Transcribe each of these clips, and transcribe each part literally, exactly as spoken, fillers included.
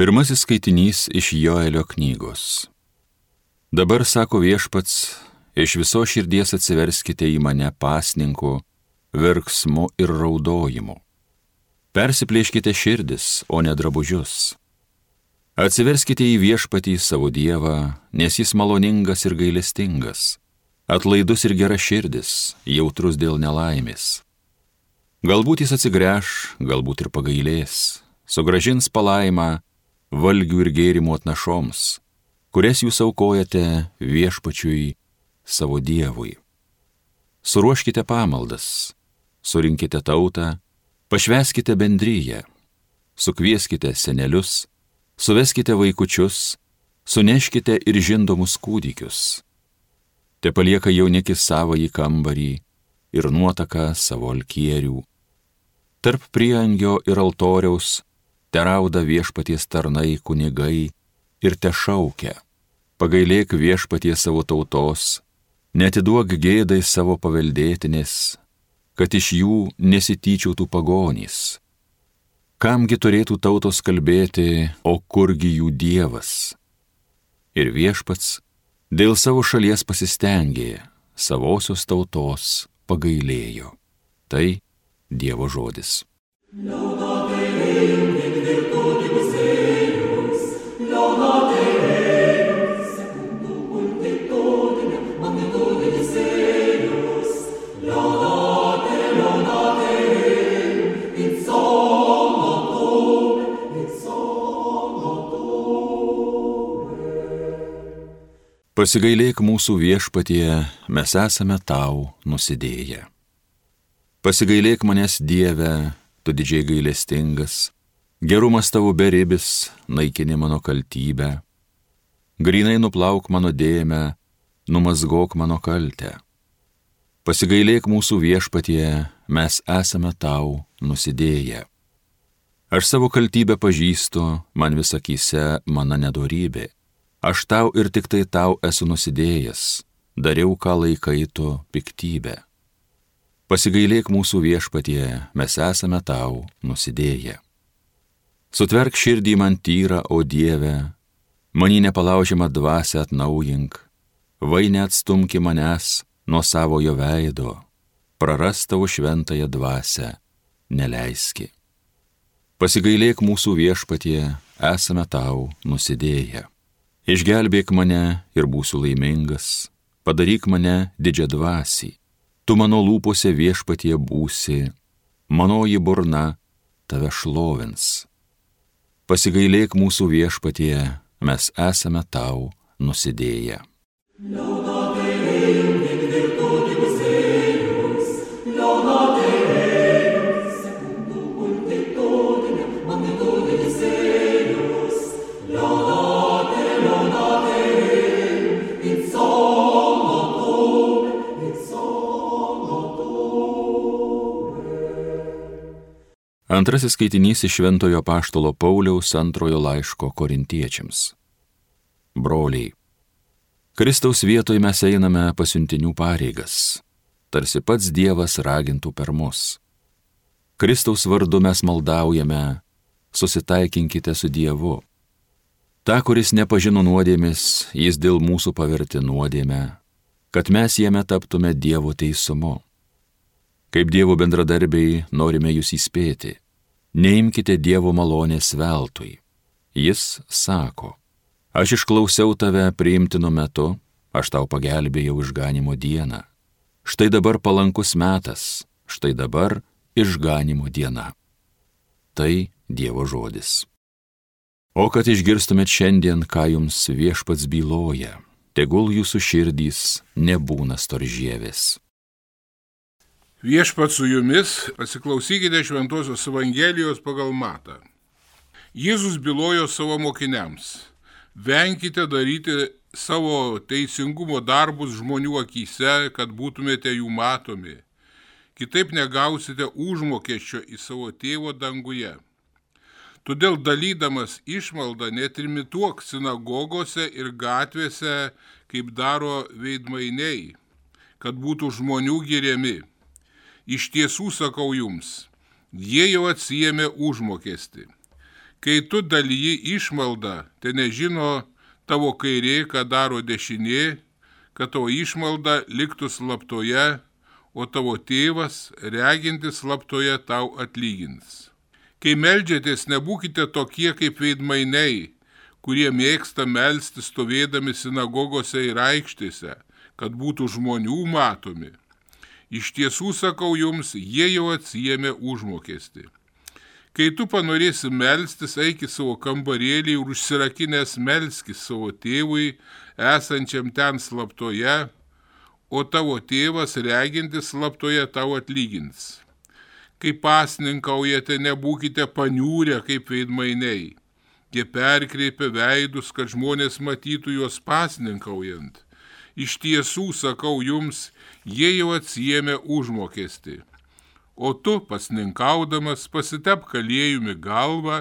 Pirmasis skaitinys iš Joelio knygos. Dabar, sako Viešpats, iš viso širdies atsiverskite į mane pasninku, verksmu ir raudojimu. Persiplėškite širdis, o ne drabužius. Atsiverskite į Viešpatį savo Dievą, nes jis maloningas ir gailestingas, atlaidus ir geraširdis, jautrus dėl nelaimės. Galbūt jis atsigręš, galbūt ir pagailės, sugrąžins palaimą valgių ir gėrimų atnašoms, kurias jūs aukojate Viešpačiui savo Dievui. Suruoškite pamaldas, surinkite tautą, pašvęskite bendryją, sukvieskite senelius, suveskite vaikučius, suneškite ir žindomus kūdikius. Te palieka jaunikis savąjį kambarį ir nuotaka savo alkierių. Tarp priangio ir altoriaus terauda Viešpaties tarnai kunigai ir te šaukia: pagailėk Viešpaties savo tautos, neatiduok gėdai savo paveldėtinės, kad iš jų nesityčiautų pagonys. Kamgi turėtų tautos kalbėti, o kurgi jų Dievas? Ir Viešpats dėl savo šalies pasistengė, savosios tautos pagailėjo. Tai Dievo žodis. Pasigailėk mūsų Viešpatie, mes esame tau nusidėję. Pasigailėk manęs Dieve, tu didžiai gailestingas, gerumas tavo beribis, naikini mano kaltybę. Grynai nuplauk mano dėmę, numazgok mano kaltę. Pasigailėk mūsų Viešpatie, mes esame tau nusidėję. Aš savo kaltybę pažįstu, man vis akyse mano nedorybė. Aš tau ir tik tai tau esu nusidėjęs, dariau, ką laikai tu piktybę. Pasigailėk mūsų Viešpatie, mes esame tau nusidėję. Sutverk širdį man tyrą, o Dieve, manį nepalaužiamą dvasią atnaujink, vai neatstumki manęs nuo savojo veido, praras tavo šventąją dvasią neleiski. Pasigailėk mūsų Viešpatie, esame tau nusidėję. Išgelbėk mane ir būsiu laimingas, padaryk mane didžiadvasį, tu mano lūpose Viešpatie būsi, manoji burna tave šlovins. Pasigailėk mūsų Viešpatie, mes esame tau nusidėję. Antrasis skaitinys iš Šventojo Apaštalo Pauliaus antrojo laiško Korintiečiams. Broliai, Kristaus vietoj mes einame pasiuntinių pareigas, tarsi pats Dievas ragintų per mus. Kristaus vardu mes maldaujame, susitaikinkite su Dievu. Ta, kuris nepažino nuodėmės, jis dėl mūsų pavertė nuodėmę, kad mes jame taptume Dievo teisumu. Kaip Dievo bendradarbiai norime jūs įspėti, neimkite Dievo malonės veltui. Jis sako: aš išklausiau tave priimtinu metu, aš tau pagelbėjau išganimo dieną. Štai dabar palankus metas, štai dabar išganimo diena. Tai Dievo žodis. O kad išgirstumėt šiandien, ką jums Viešpats byloja, tegul jūsų širdys nebūna storžėvės. Viešpats su jumis, pasiklausykite Šventosios Evangelijos pagal Matą. Jėzus bylojo savo mokiniams: venkite daryti savo teisingumo darbus žmonių akyse, kad būtumėte jų matomi. Kitaip negausite užmokesčio į savo tėvo danguje. Todėl dalydamas išmaldą netrimituok sinagogose ir gatvėse, kaip daro veidmainiai, kad būtų žmonių giriami. Iš tiesų sakau jums, jie jau atsiėmė užmokestį. Kai tu dalyji išmaldą, tai nežino tavo kairė, ką daro dešinė, kad tavo išmalda liktų slaptoje, o tavo tėvas, regintis slaptoje, tau atlygins. Kai meldžiatės, nebūkite tokie kaip veidmainiai, kurie mėgsta melstis stovėdami sinagogose ir aikštėse, kad būtų žmonių matomi. Iš tiesų sakau jums, jie jau atsiėmė užmokestį. Kai tu panorėsi melstis, eik į savo kambarėlį ir užsirakinęs melskis savo tėvui, esančiam ten slaptoje, o tavo tėvas, regintis slaptoje, tau atlygins. Kai pasninkaujate, nebūkite paniūrę kaip veidmainiai. Jie perkreipia veidus, kad žmonės matytų juos pasninkaujant. Iš tiesų, sakau jums, jie jau atsiėmė užmokestį. O tu, pasninkaudamas, pasitepk aliejumi galvą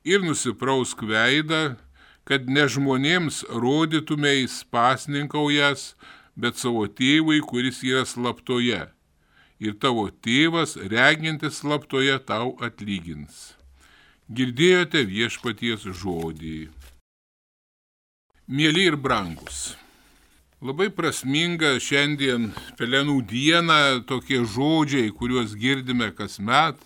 ir nusiprausk veidą, kad ne žmonėms rodytumeis pasninkaujas, bet savo tėvui, kuris yra slaptoje. Ir tavo tėvas, regintis slaptoje, tau atlygins. Girdėjote viešpaties žodį. Mieli ir brangus, labai prasminga šiandien Pelenų dieną tokie žodžiai, kuriuos girdime kasmet.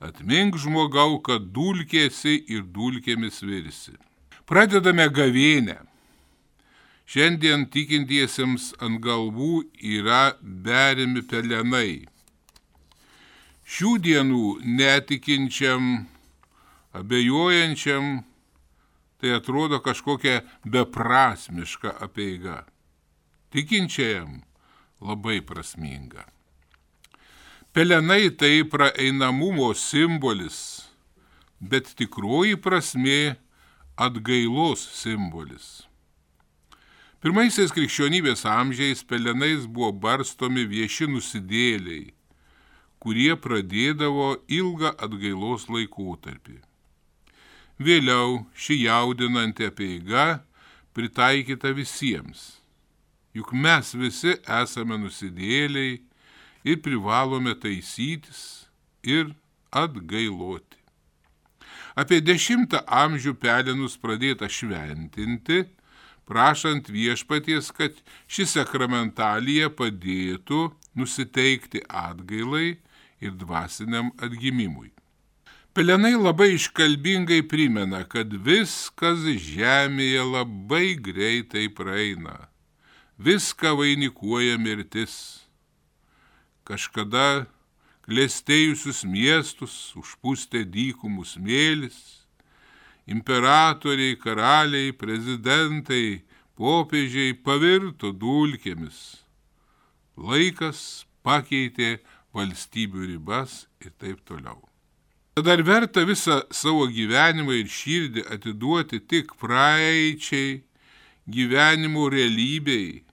Atmink žmogau, kad dulkėsi ir dulkėmis virsi. Pradedame gavėnę. Šiandien tikintiesiems ant galvų yra beriami pelenai. Šių dienų netikinčiam, abejojančiam, tai atrodo kažkokia beprasmiška apeiga. Tikinčiajam labai prasminga. Pelenai tai praeinamumo simbolis, bet tikroji prasmė atgailos simbolis. Pirmaisiais krikščionybės amžiais pelenais buvo barstomi vieši nusidėliai, kurie pradėdavo ilgą atgailos laikotarpį. Vėliau ši jaudinanti apeiga pritaikyta visiems, juk mes visi esame nusidėliai ir privalome taisytis ir atgailoti. Apie dešimtą amžių pelenus pradėta šventinti, prašant viešpaties, kad ši sakramentalija padėtų nusiteikti atgailai ir dvasiniam atgimimui. Pelenai labai iškalbingai primena, kad viskas žemėje labai greitai praeina. Viską vainikuoja mirtis. Kažkada klestėjusius miestus užpustė dykumų smėlis. Imperatoriai, karaliai, prezidentai, popiežiai pavirto dulkėmis. Laikas pakeitė valstybių ribas ir taip toliau. Tad ar verta visą savo gyvenimą ir širdį atiduoti tik praeičiai, gyvenimo realybei,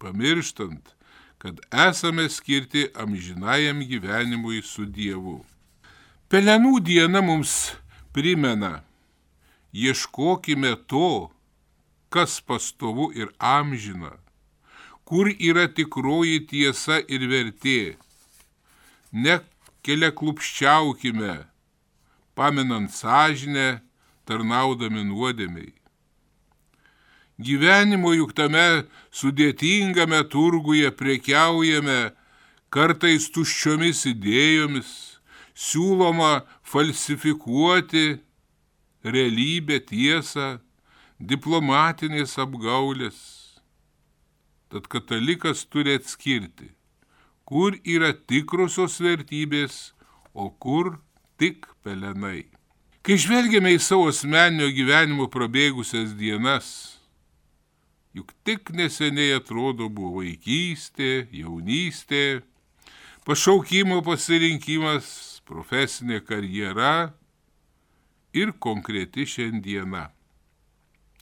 pamirštant, kad esame skirti amžinajam gyvenimui su Dievu. Pelenų diena mums primena, ieškokime to, kas pastovu ir amžina, kur yra tikroji tiesa ir vertė. Nekeliaklupščiaukime, paminant sąžinę, tarnaudami nuodėmei. Gyvenimo juk tame sudėtingame turguje prekiaujame kartais tuščiomis idėjomis, siūloma falsifikuoti realybę, tiesą, diplomatinės apgaulės. Tad katalikas turi atskirti, kur yra tikrosios vertybės, o kur tik pelenai. Kai žvelgiame į savo asmeninio gyvenimo prabėgusias dienas, juk tik neseniai atrodo buvo vaikystė, jaunystė, pašaukimo pasirinkimas, profesinė karjera ir konkreti šiandiena.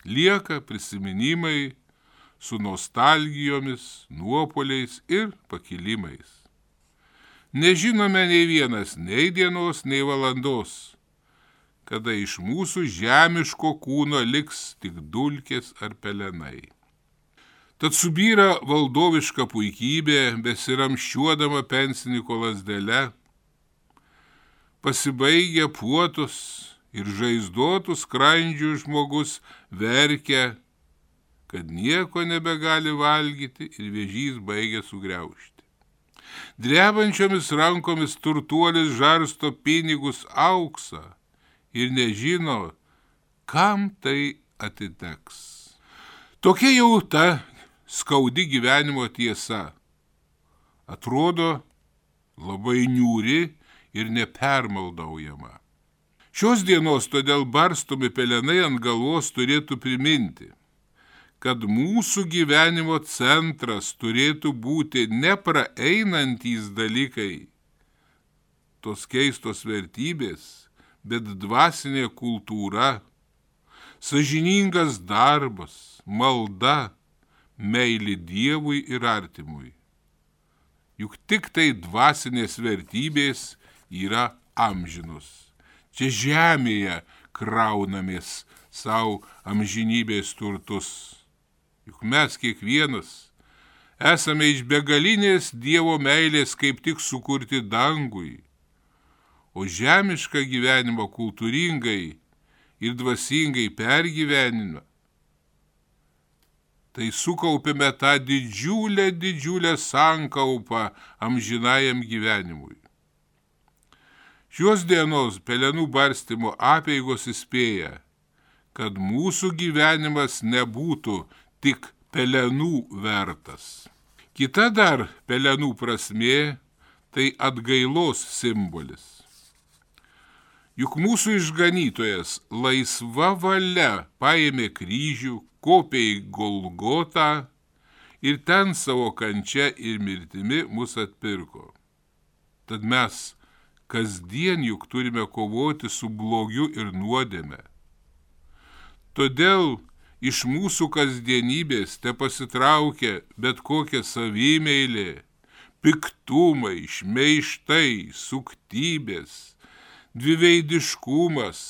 Lieka prisiminimai su nostalgijomis, nuopoliais ir pakilimais. Nežinome nei vienas, nei dienos, nei valandos, kada iš mūsų žemiško kūno liks tik dulkės ar pelenai. Tad subyra valdoviška puikybė, besiramščiuodama pensininko lazdele, pasibaigia puotos ir žaizdotų skrandžių žmogus verkia, kad nieko nebegali valgyti ir vėžys baigia sugriaužti. Drebančiomis rankomis turtuolis žarsto pinigus auksą ir nežino, kam tai atiteks. Tokia jau ta skaudi gyvenimo tiesa. Atrodo labai niūri ir nepermaldaujama. Šios dienos todėl barstomi pelenai ant galvos turėtų priminti, kad mūsų gyvenimo centras turėtų būti nepraeinantys dalykai, tos keistos vertybės, bet dvasinė kultūra, sąžiningas darbas, malda, meilė Dievui ir artimui. Juk tik tai dvasinės vertybės yra amžinos. Čia žemėje kraunamės savo amžinybės turtus. Juk mes kiekvienas esame iš begalinės Dievo meilės kaip tik sukurti dangui, o žemišką gyvenimą kultūringai ir dvasingai pergyvenimą, tai sukaupėme tą didžiulę, didžiulę sankaupą amžinajam gyvenimui. Šios dienos pelenų barstymo apeigos įspėja, kad mūsų gyvenimas nebūtų tik pelenų vertas. Kita dar pelenų prasmė – tai atgailos simbolis. Juk mūsų išganytojas laisva valia paėmė kryžių, kopė į Golgotą ir ten savo kančia ir mirtimi mus atpirko. Tad mes kasdien juk turime kovoti su blogiu ir nuodėme. Todėl iš mūsų kasdienybės te pasitraukia bet kokia savimeilė, piktumai, šmeižtai, suktybės, dviveidiškumas,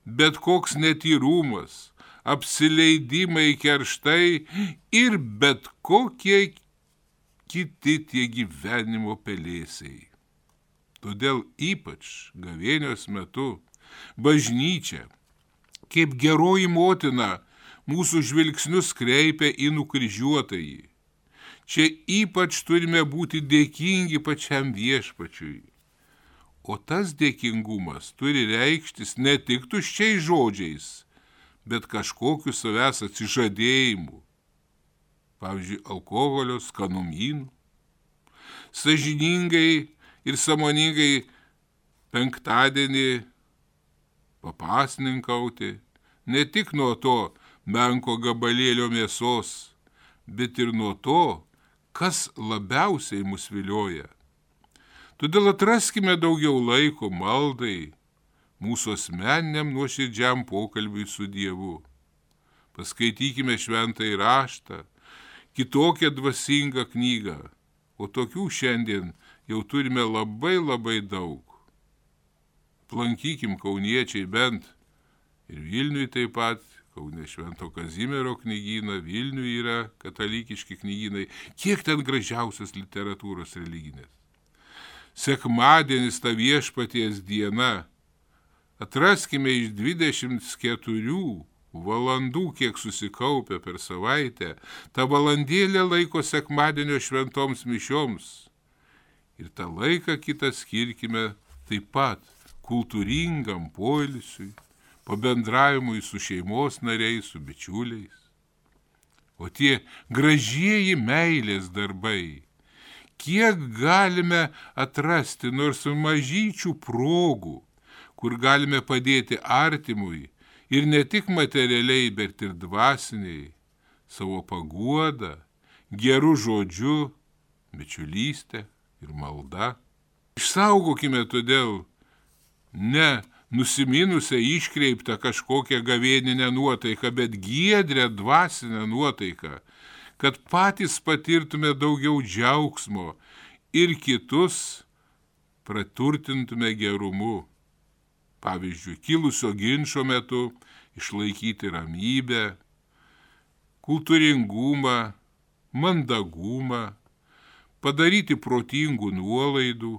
bet koks netyrumas, apsileidimai, kerštai ir bet kokie kiti tie gyvenimo pelėsiai. Todėl ypač gavėnios metu bažnyčia, kaip geroji motina, mūsų žvilgsnius kreipia į nukryžiuotąjį. Čia ypač turime būti dėkingi pačiam Viešpačiui. O tas dėkingumas turi reikštis ne tik tuščiais žodžiais, bet kažkokiu savęs atsižadėjimu. Pavyzdžiui, alkoholio, skanumynų. Sąžiningai ir sąmoningai penktadienį papasninkauti, ne tik nuo to menko gabalėlio mėsos, bet ir nuo to, kas labiausiai mus vilioja. Todėl atraskime daugiau laiko maldai, mūsų asmeniniam nuoširdžiam pokalbiui su Dievu. Paskaitykime šventąjį raštą, kitokią dvasingą knygą, o tokių šiandien jau turime labai labai daug. Aplankykim kauniečiai bent ir Vilniui taip pat, Kaune Švento Kazimiero knygyną, Vilniui yra katalikiški knygynai, kiek ten gražiausios literatūros religinės. Sekmadienis ta Viešpaties diena, atraskime iš dvidešimt keturių valandų, kiek susikaupia per savaitę, tą valandėlę laiko sekmadienio šventoms mišioms. Ir tą laiką kitą skirkime taip pat kultūringam poilsiui, pabendravimui su šeimos nariais, su bičiuliais. O tie gražieji meilės darbai, kiek galime atrasti nors mažyčių progų, kur galime padėti artimui ir ne tik materialiai, bet ir dvasiniai, savo paguodą, gerų žodžių, bičiulystę ir malda. Išsaugokime todėl ne nusiminusią iškreiptą kažkokią gavėninę nuotaiką, bet giedrę dvasinę nuotaiką, kad patys patirtume daugiau džiaugsmo ir kitus praturtintume gerumu. Pavyzdžiui, kilusio ginčo metu išlaikyti ramybę, kultūringumą, mandagumą, padaryti protingų nuolaidų,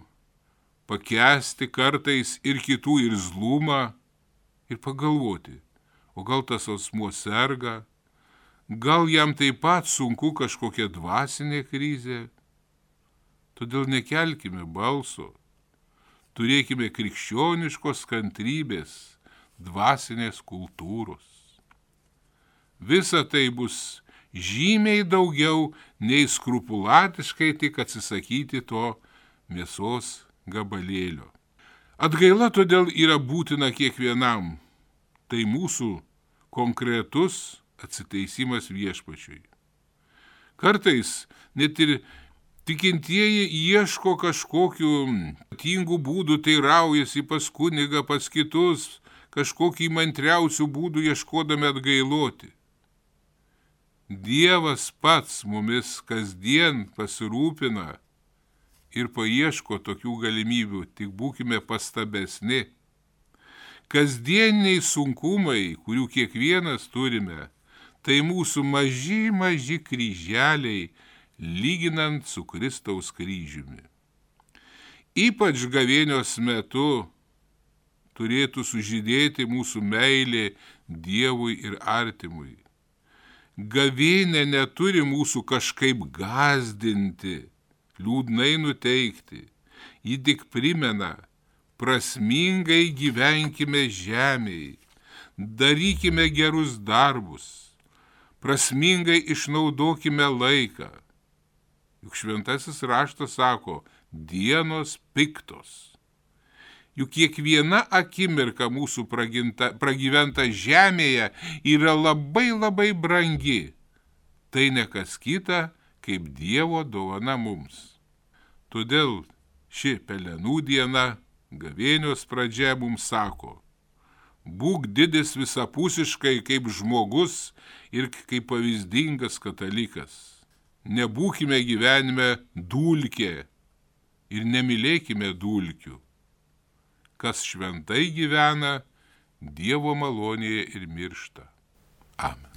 pakęsti kartais ir kitų irzlumą, ir pagalvoti, o gal tas asmuo serga, gal jam taip pat sunku kažkokia dvasinė krizė. Todėl nekelkime balso, turėkime krikščioniškos kantrybės, dvasinės kultūros. Visa tai bus žymiai daugiau nei skrupulatiškai tik atsisakyti to mėsos gabalėlio. Atgaila todėl yra būtina kiekvienam. Tai mūsų konkretus atsiteisimas viešpačiui. Kartais net ir tikintieji ieško kažkokių ypatingų būdų, teiraujasi pas kunigą, pas kitus, kažkokį įmantriausių būdų ieškodami atgailoti. Dievas pats mumis kasdien pasirūpina ir paieško tokių galimybių, tik būkime pastabesni. Kasdieniai sunkumai, kurių kiekvienas turime, tai mūsų maži, maži kryželiai, lyginant su Kristaus kryžiumi. Ypač gavėnios metu turėtų sužydėti mūsų meilė Dievui ir artimui. Gavėnė neturi mūsų kažkaip gąsdinti, liūdnai nuteikti. Ji tik primena, prasmingai gyvenkime žemėje, darykime gerus darbus, prasmingai išnaudokime laiką. Juk šventasis raštas sako, dienos piktos. Juk kiekviena akimirka mūsų praginta, pragyventa žemėje yra labai labai brangi. Tai ne kas kita, kaip Dievo dovana mums. Todėl ši pelenų diena, gavėnios pradžia mums sako, būk didis visapusiškai kaip žmogus ir kaip pavyzdingas katalikas. Nebūkime gyvenime dulkė ir nemylėkime dulkių. Kas šventai gyvena, Dievo malonėje ir miršta. Amen.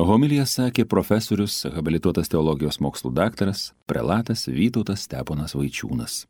Homiliją sakė profesorius, habilituotas teologijos mokslų daktaras, prelatas Vytautas Steponas Vaičiūnas.